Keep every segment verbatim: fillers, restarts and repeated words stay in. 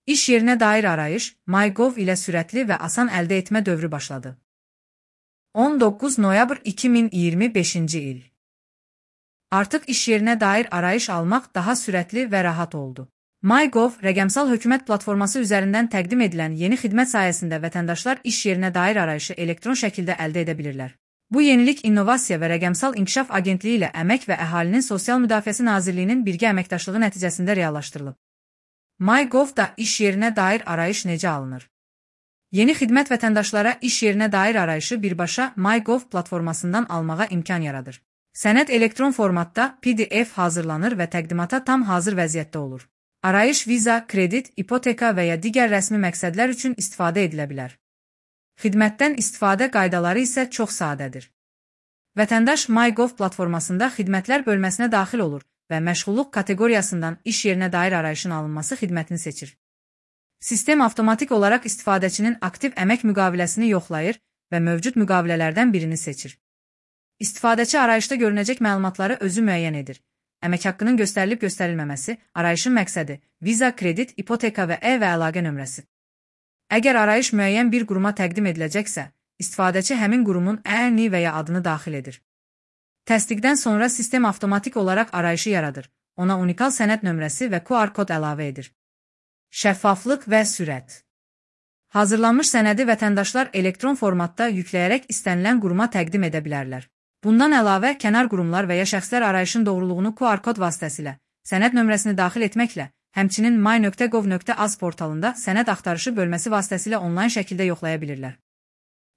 İş yerinə dair arayış MyGov ilə sürətli və asan əldə etmə dövrü başladı. on doqquz noyabr iki min iyirmi beşinci il. Artıq iş yerinə dair arayış almaq daha sürətli və rahat oldu. MyGov, rəqəmsal hökumət platforması üzərindən təqdim edilən yeni xidmət sayəsində vətəndaşlar iş yerinə dair arayışı elektron şəkildə əldə edə bilirlər. Bu yenilik İnnovasiya və Rəqəmsal İnkişaf Agentliyi ilə Əmək və Əhalinin Sosial Müdafiəsi Nazirliyinin birgə əməkdaşlığı nəticəsində reallaşdırılıb. MyGov-da iş yerinə dair arayış necə alınır? Yeni xidmət vətəndaşlara iş yerinə dair arayışı birbaşa MyGov platformasından almağa imkan yaradır. Sənəd elektron formatda P D F hazırlanır və təqdimata tam hazır vəziyyətdə olur. Arayış viza, kredit, ipoteka və ya digər rəsmi məqsədlər üçün istifadə edilə bilər. Xidmətdən istifadə qaydaları isə çox sadədir. Vətəndaş MyGov platformasında xidmətlər bölməsinə daxil olur və məşğulluq kateqoriyasından iş yerinə dair arayışın alınması xidmətini seçir. Sistem avtomatik olaraq istifadəçinin aktiv əmək müqaviləsini yoxlayır və mövcud müqavilələrdən birini seçir. İstifadəçi arayışda görünəcək məlumatları özü müəyyən edir. Əmək haqqının göstərilib göstərilməməsi, arayışın məqsədi, viza, kredit, ipoteka və e və əlaqə nömrəsi. Əgər arayış müəyyən bir quruma təqdim ediləcəksə, istifadəçi həmin qurumun əni və ya adını daxil edir. Təsdiqdən sonra sistem avtomatik olaraq arayışı yaradır, ona unikal sənəd nömrəsi və Q R kod əlavə edir. Şəffaflıq və sürət. Hazırlanmış sənədi vətəndaşlar elektron formatda yükləyərək istənilən quruma təqdim edə bilərlər. Bundan əlavə, kənar qurumlar və ya şəxslər arayışın doğruluğunu Q R kod vasitəsilə, sənəd nömrəsini daxil etməklə, həmçinin my nöqtə gov nöqtə az portalında sənəd axtarışı bölməsi vasitəsilə onlayn şəkildə yoxlaya bilirlər.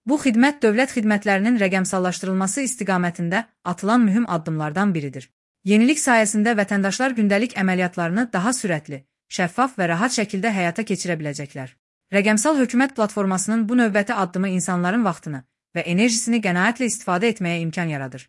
Bu xidmət dövlət xidmətlərinin rəqəmsallaşdırılması istiqamətində atılan mühüm addımlardan biridir. Yenilik sayəsində vətəndaşlar gündəlik əməliyyatlarını daha sürətli, şəffaf və rahat şəkildə həyata keçirə biləcəklər. Rəqəmsal hökumət platformasının bu növbəti addımı insanların vaxtını və enerjisini qənaətlə istifadə etməyə imkan yaradır.